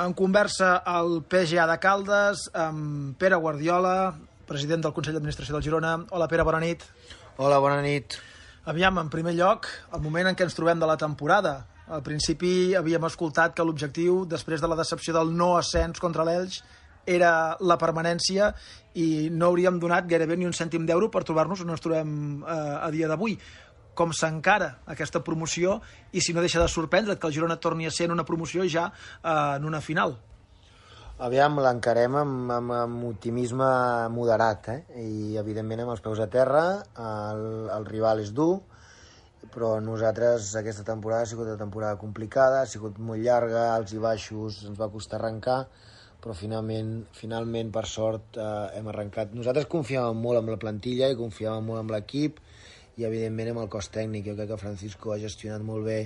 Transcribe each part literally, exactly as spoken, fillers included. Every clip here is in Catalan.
En conversa al P G A de Caldes amb Pere Guardiola, president del Consell d'Administració del Girona. Hola, Pere, bona nit. Hola, bona nit. Aviam, en primer lloc, el moment en què ens trobem de la temporada. Al principi havíem escoltat que l'objectiu, després de la decepció del no ascens contra l'Elx, era la permanència i no hauríem donat gairebé ni un cèntim d'euro per trobar-nos on ens trobem eh, a dia d'avui. Com s'encara aquesta promoció i si no deixa de sorprendre que el Girona torni a ser en una promoció ja eh, en una final. Aviam, l'encarem amb, amb, amb optimisme moderat, eh? I evidentment amb els peus a terra. El, el rival és dur, però nosaltres aquesta temporada ha sigut una temporada complicada, ha sigut molt llarga, alts i baixos, ens va costar arrencar, però finalment, finalment per sort, eh, hem arrencat. Nosaltres confiàvem molt en la plantilla i confiàvem molt en l'equip i evidentment amb el cos tècnic. Jo crec que Francisco ha gestionat molt bé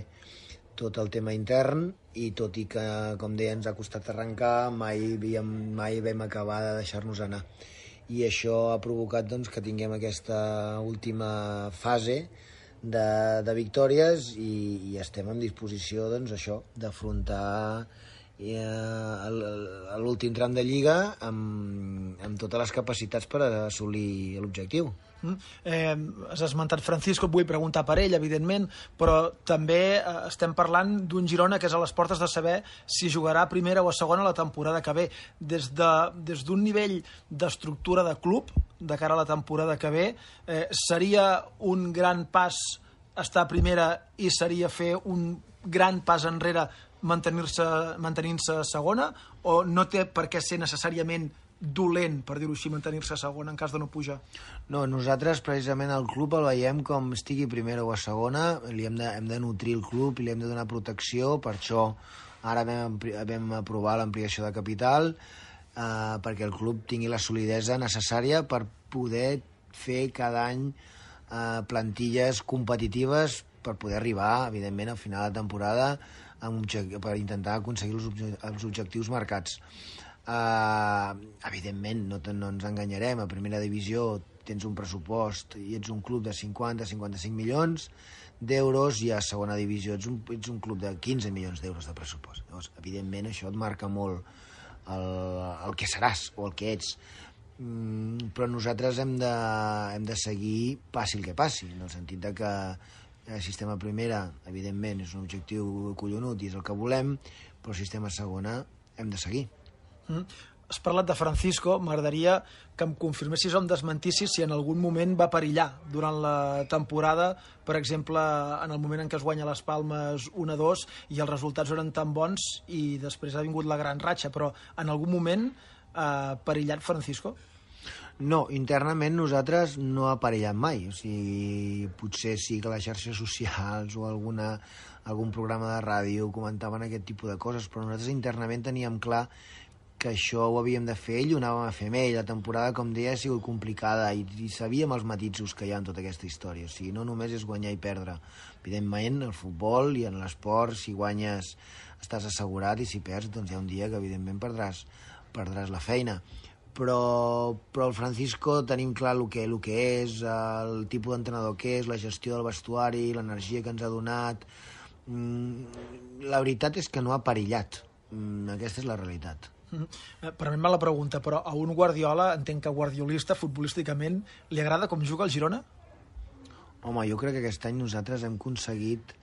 tot el tema intern i tot i que, com deia, ens ha costat arrencar, mai, havíem, mai vam acabar de deixar-nos anar. I això ha provocat doncs, que tinguem aquesta última fase de, de victòries i, i estem en disposició doncs, això d'afrontar eh, l'últim tram de Lliga amb, amb totes les capacitats per assolir l'objectiu. Mm. Eh, has esmentat Francisco, et vull preguntar per ell, evidentment, però també eh, estem parlant d'un Girona que és a les portes de saber si jugarà a primera o a segona la temporada que ve. Des de, des d'un nivell d'estructura de club, de cara a la temporada que ve, eh, seria un gran pas estar a primera i seria fer un gran pas enrere mantenir-se mantenint-se a segona, o no té per què ser necessàriament dolent, per dir-ho així, mantenir-se a segona en cas de no pujar? No, nosaltres precisament el club el veiem com estigui a primera o a segona, li hem de, hem de nutrir el club i li hem de donar protecció, per això ara vam, vam aprovar l'ampliació de capital eh, perquè el club tingui la solidesa necessària per poder fer cada any eh, plantilles competitives per poder arribar, evidentment, al final de temporada amb per intentar aconseguir els, obje els objectius marcats. Uh, evidentment, no, no ens enganyarem, a primera divisió tens un pressupost i ets un club de cinquanta a cinquanta-cinc milions d'euros i a segona divisió ets un, ets un club de quinze milions d'euros de pressupost. Llavors, evidentment, això et marca molt el, el que seràs o el que ets. Mm, però nosaltres hem de, hem de seguir passi el que passi, en el sentit de que el sistema primera, evidentment, és un objectiu collonut i és el que volem, però el sistema segona hem de seguir. Mm. Has parlat de Francisco, m'agradaria que em confirmessis o em desmentissis si en algun moment va perillar durant la temporada, per exemple, en el moment en què es guanya les Palmes un a dos i els resultats eren tan bons i després ha vingut la gran ratxa, però en algun moment ha perillat Francisco? No, internament nosaltres no ha perillat mai, o sigui, potser sí que les xarxes socials o alguna, algun programa de ràdio comentaven aquest tipus de coses, però nosaltres internament teníem clar que això ho havíem de fer ell i ho anàvem a fer amb ell. La temporada, com deia, ha sigut complicada i, i sabíem els matisos que hi ha en tota aquesta història. O sigui, no només és guanyar i perdre. Evidentment, el futbol i en l'esport, si guanyes estàs assegurat i si perds, doncs hi ha un dia que evidentment perdràs, perdràs la feina. Però, però el Francisco tenim clar el que, el que és, el tipus d'entrenador que és, la gestió del vestuari, l'energia que ens ha donat. La veritat és que no ha perillat. Aquesta és la realitat. Permet-me la pregunta, però a un Guardiola, entenc que guardiolista, futbolísticament, li agrada com juga el Girona? Home, jo crec que aquest any nosaltres hem aconseguit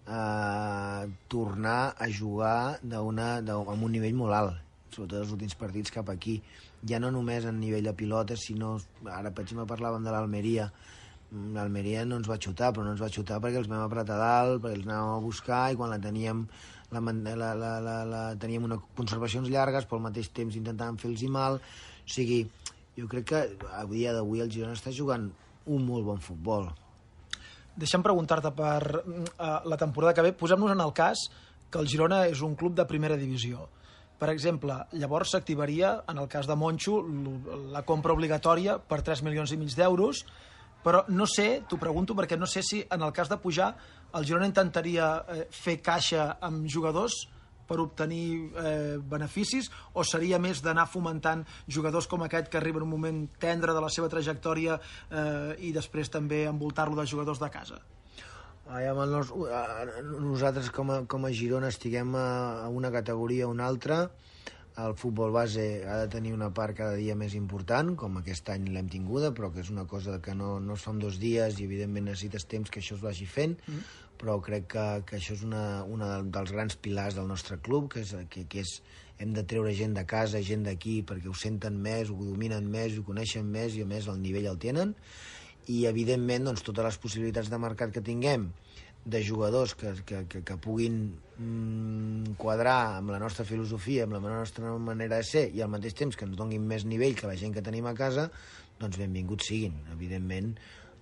eh, tornar a jugar una, amb un nivell molt alt, sobretot els últims partits cap aquí. Ja no només a nivell de pilotes, sinó, ara per exemple parlàvem de l'Almeria, l'Almeria no ens va xutar, però no ens va xutar perquè els vam apretar dalt, perquè els anàvem a buscar i quan la teníem La, la, la, la, la, teníem unes conservacions llargues, però al mateix temps intentàvem fer-los mal. O sigui, jo crec que a dia d'avui el Girona està jugant un molt bon futbol. Deixa'm preguntar-te per uh, la temporada que ve. Posem-nos en el cas que el Girona és un club de primera divisió. Per exemple, llavors s'activaria, en el cas de Moncho, la compra obligatòria per tres milions i mig d'euros, però no sé, t'ho pregunto perquè no sé si en el cas de pujar el Girona intentaria eh, fer caixa amb jugadors per obtenir eh, beneficis o seria més d'anar fomentant jugadors com aquest que arriben en un moment tendre de la seva trajectòria eh, i després també envoltar-lo de jugadors de casa? amb el nostre, nosaltres com a, com a Girona estiguem a, a una categoria o una altra, el futbol base ha de tenir una part cada dia més important, com aquest any l'hem tinguda, però que és una cosa que no, no es fa en dos dies i evidentment necessites temps que això es vagi fent, mm. però crec que, que això és una, una dels grans pilars del nostre club, que és, que, que és hem de treure gent de casa, gent d'aquí, perquè ho senten més, ho dominen més, ho coneixen més i a més el nivell el tenen, i evidentment doncs, totes les possibilitats de mercat que tinguem de jugadors que, que, que, que puguin mm, quadrar amb la nostra filosofia, amb la nostra manera de ser i al mateix temps que ens donguin més nivell que la gent que tenim a casa, doncs benvinguts siguin. Evidentment,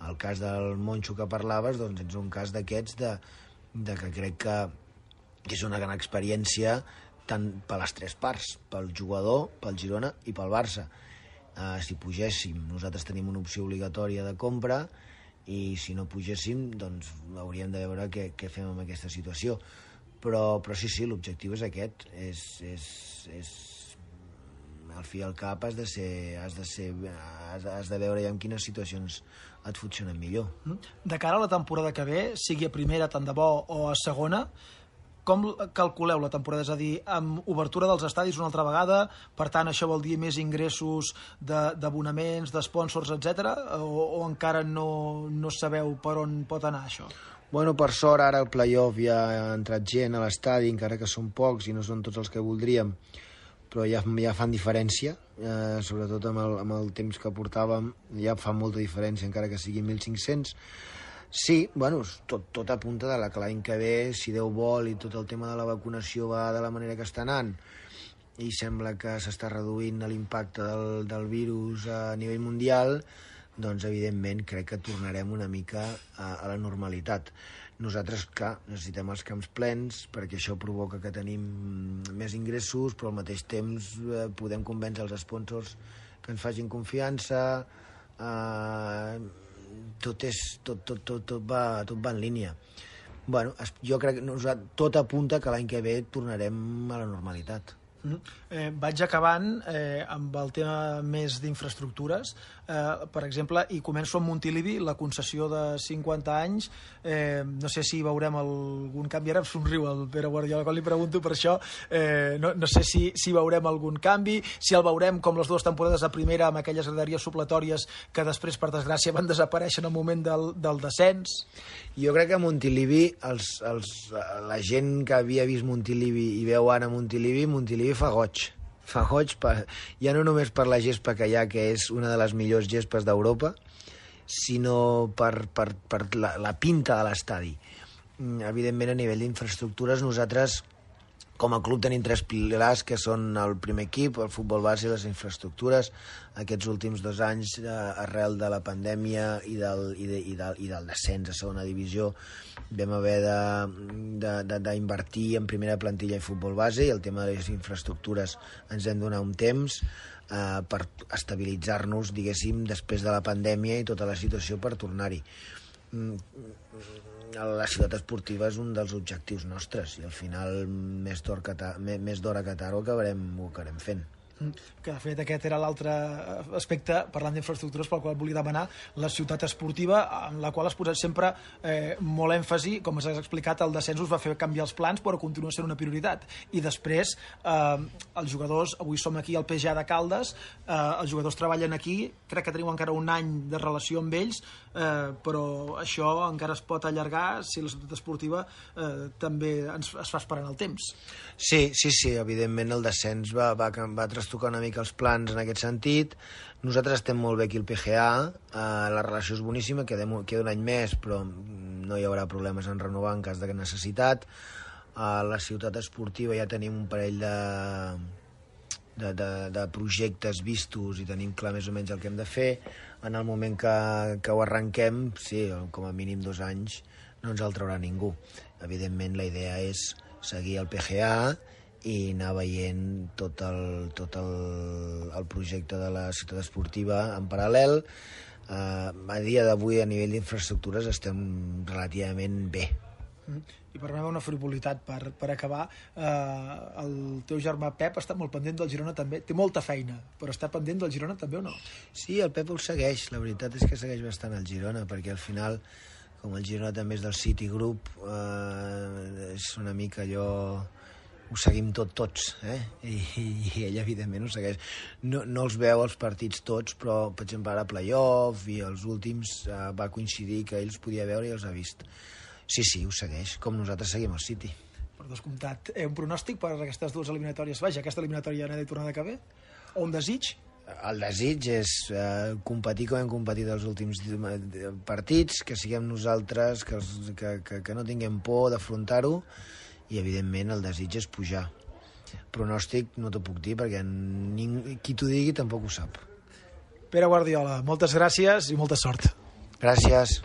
el cas del Monxo que parlaves doncs és un cas d'aquests de, de que crec que, que és una gran experiència tant per les tres parts, pel jugador, pel Girona i pel Barça. Uh, si pugéssim, nosaltres tenim una opció obligatòria de compra i si no pugéssim, doncs hauríem de veure què, què fem amb aquesta situació. Però, però sí, sí, l'objectiu és aquest. És, és, és... Al fi i al cap has de ser, has de ser, has, has de veure ja en quines situacions et funcionen millor. De cara a la temporada que ve, sigui a primera, tant de bo, o a segona, com calculeu la temporada? És a dir, amb obertura dels estadis una altra vegada, per tant, això vol dir més ingressos d'abonaments, de, d'espònsors, etcètera, o, o encara no, no sabeu per on pot anar això? Bueno, per sort, ara al playoff ja ha entrat gent a l'estadi, encara que són pocs i no són tots els que voldríem, però ja, ja fan diferència, eh, sobretot amb el, amb el temps que portàvem, ja fa molta diferència, encara que siguin mil cinc-cents. Sí, bueno, tot, tot apunta de la que l'any que ve, si Déu vol i tot el tema de la vacunació va de la manera que està anant i sembla que s'està reduint l'impacte del, del virus a nivell mundial, doncs evidentment crec que tornarem una mica a, a la normalitat. Nosaltres, clar, necessitem els camps plens perquè això provoca que tenim més ingressos, però al mateix temps eh, podem convèncer els sponsors que ens facin confiança, eh, tot, és, tot, tot, tot, tot, va, tot va en línia. Bueno, jo crec que tot apunta que l'any que ve tornarem a la normalitat. Mm. Eh, vaig acabant eh, amb el tema més d'infraestructures, eh, per exemple, i començo amb Montilivi, la concessió de cinquanta anys. Eh, no sé si veurem algun canvi, ara em somriu el Pere Guardiola quan li pregunto per això, eh, no, no sé si, si veurem algun canvi, si el veurem com les dues temporades a primera amb aquelles graderies supletòries que després, per desgràcia, van desaparèixer en el moment del, del descens. Jo crec que a Montilivi, els, els, la gent que havia vist Montilivi i veu ara Montilivi, Montilivi fa goig. Fa goig per, ja no només per la gespa que hi ha, que és una de les millors gespes d'Europa, sinó per, per, per la, la pinta de l'estadi. Evidentment, a nivell d'infraestructures, nosaltres, com a club, tenim tres pilars, que són el primer equip, el futbol base i les infraestructures. Aquests últims dos anys, eh, arrel de la pandèmia i del, i, de, i, del, i del descens a segona divisió, vam haver d'invertir en primera plantilla i futbol base, i el tema de les infraestructures ens hem donat un temps eh, per estabilitzar-nos, diguéssim, després de la pandèmia i tota la situació per tornar-hi. La ciutat esportiva és un dels objectius nostres i al final més d'hora que tard ho acabarem, ho acabarem fent. Que de fet aquest era l'altre aspecte, parlant d'infraestructures, pel qual volia demanar, la ciutat esportiva, en la qual has posat sempre eh, molt èmfasi. Com has explicat, el descens us va fer canviar els plans, però continua sent una prioritat. I després, eh, els jugadors, avui som aquí al P G A de Caldes, eh, els jugadors treballen aquí, crec que tenim encara un any de relació amb ells, eh, però això encara es pot allargar si la ciutat esportiva eh, també ens, es fa esperant el temps. Sí, sí, sí, evidentment el descens va, va, va trastocar una mica els plans en aquest sentit. Nosaltres estem molt bé aquí al P G A, eh, la relació és boníssima, queda, queda un any més, però no hi haurà problemes en renovar en cas de necessitat. A la ciutat esportiva ja tenim un parell de, de, de, de projectes vistos i tenim clar més o menys el que hem de fer. En el moment que, que ho arrenquem, sí, com a mínim dos anys, no ens el traurà ningú. Evidentment, la idea és seguir el P G A i anar veient tot el, tot el, el projecte de la ciutat esportiva en paral·lel. Uh, a dia d'avui, a nivell d'infraestructures, estem relativament bé. I per una frivolitat, per, per acabar, eh, el teu germà Pep està molt pendent del Girona també, té molta feina, però està pendent del Girona també o no? Sí, el Pep ho segueix, la veritat és que segueix bastant el Girona, perquè al final, com el Girona també és del City Group, eh, és una mica allò... ho seguim tot tots, eh? I, i ell evidentment ho segueix. No, no els veu els partits tots, però per exemple ara playoff i els últims eh, va coincidir que ell els podia veure i els ha vist. Sí, sí, ho segueix, com nosaltres seguim el City. Per descomptat, eh, un pronòstic per aquestes dues eliminatòries? Vaja, aquesta eliminatòria anada i tornada que ve? O un desig? El desig és eh, competir com hem competit els últims partits, que siguem nosaltres, que, els, que, que, que no tinguem por d'afrontar-ho, i evidentment el desig és pujar. Pronòstic no t'ho puc dir perquè ning... qui t'ho digui tampoc ho sap. Pere Guardiola, moltes gràcies i molta sort. Gràcies.